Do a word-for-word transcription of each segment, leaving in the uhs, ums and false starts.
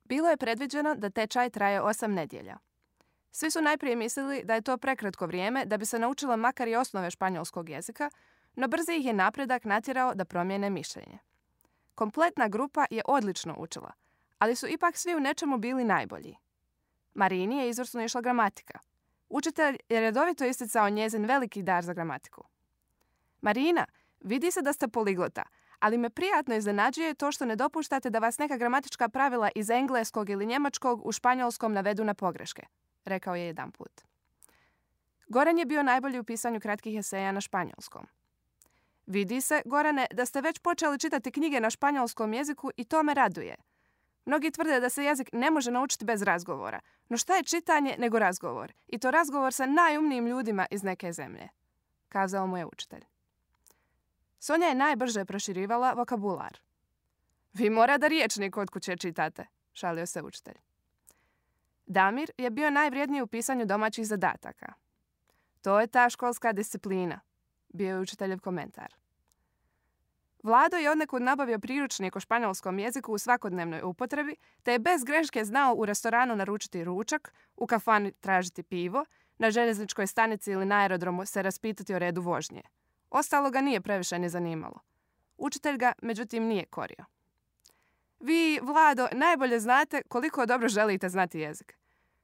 Bilo je predviđeno da tečaj traje osam nedjelja. Svi su najprije mislili da je to prekratko vrijeme da bi se naučilo makar i osnove španjolskog jezika, no brzo ih je napredak natjerao da promijene mišljenje. Kompletna grupa je odlično učila, ali su ipak svi u nečemu bili najbolji. Marini je izvrsno išla gramatika. Učitelj je redovito isticao njezin veliki dar za gramatiku. Marina, vidi se da ste poliglota, ali me prijatno iznenađuje to što ne dopuštate da vas neka gramatička pravila iz engleskog ili njemačkog u španjolskom navedu na pogreške, rekao je jedanput. Goran je bio najbolji u pisanju kratkih eseja na španjolskom. Vidi se, Gorane, da ste već počeli čitati knjige na španjolskom jeziku i to me raduje. Mnogi tvrde da se jezik ne može naučiti bez razgovora, no šta je čitanje nego razgovor? I to razgovor sa najumnijim ljudima iz neke zemlje, kazao mu je učitelj. Sonja je najbrže proširivala vokabular. Vi mora da riječnik kod kuće čitate, šalio se učitelj. Damir je bio najvrijedniji u pisanju domaćih zadataka. To je ta školska disciplina, bio je učiteljev komentar. Vlado je odnekud nabavio priručnik o španjolskom jeziku u svakodnevnoj upotrebi, te je bez greške znao u restoranu naručiti ručak, u kafani tražiti pivo, na željezničkoj stanici ili na aerodromu se raspitati o redu vožnje. Ostalo ga nije previše ni zanimalo. Učitelj ga, međutim, nije korio. Vi, Vlado, najbolje znate koliko dobro želite znati jezik.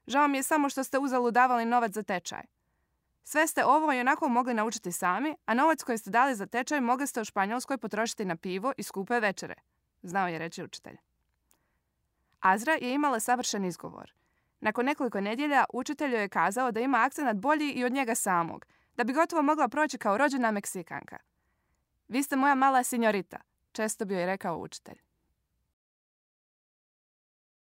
Žao mi je samo što ste uzalud davali novac za tečaj. Sve ste ovo i onako mogli naučiti sami, a novac koji ste dali za tečaj mogli ste u Španjolskoj potrošiti na pivo i skupe večere, znao je reći učitelj. Azra je imala savršen izgovor. Nakon nekoliko nedjelja učitelj joj je kazao da ima akcenat bolji i od njega samog, da bi gotovo mogla proći kao rođena Meksikanka. Vi ste moja mala sinjorita, često bi joj rekao učitelj.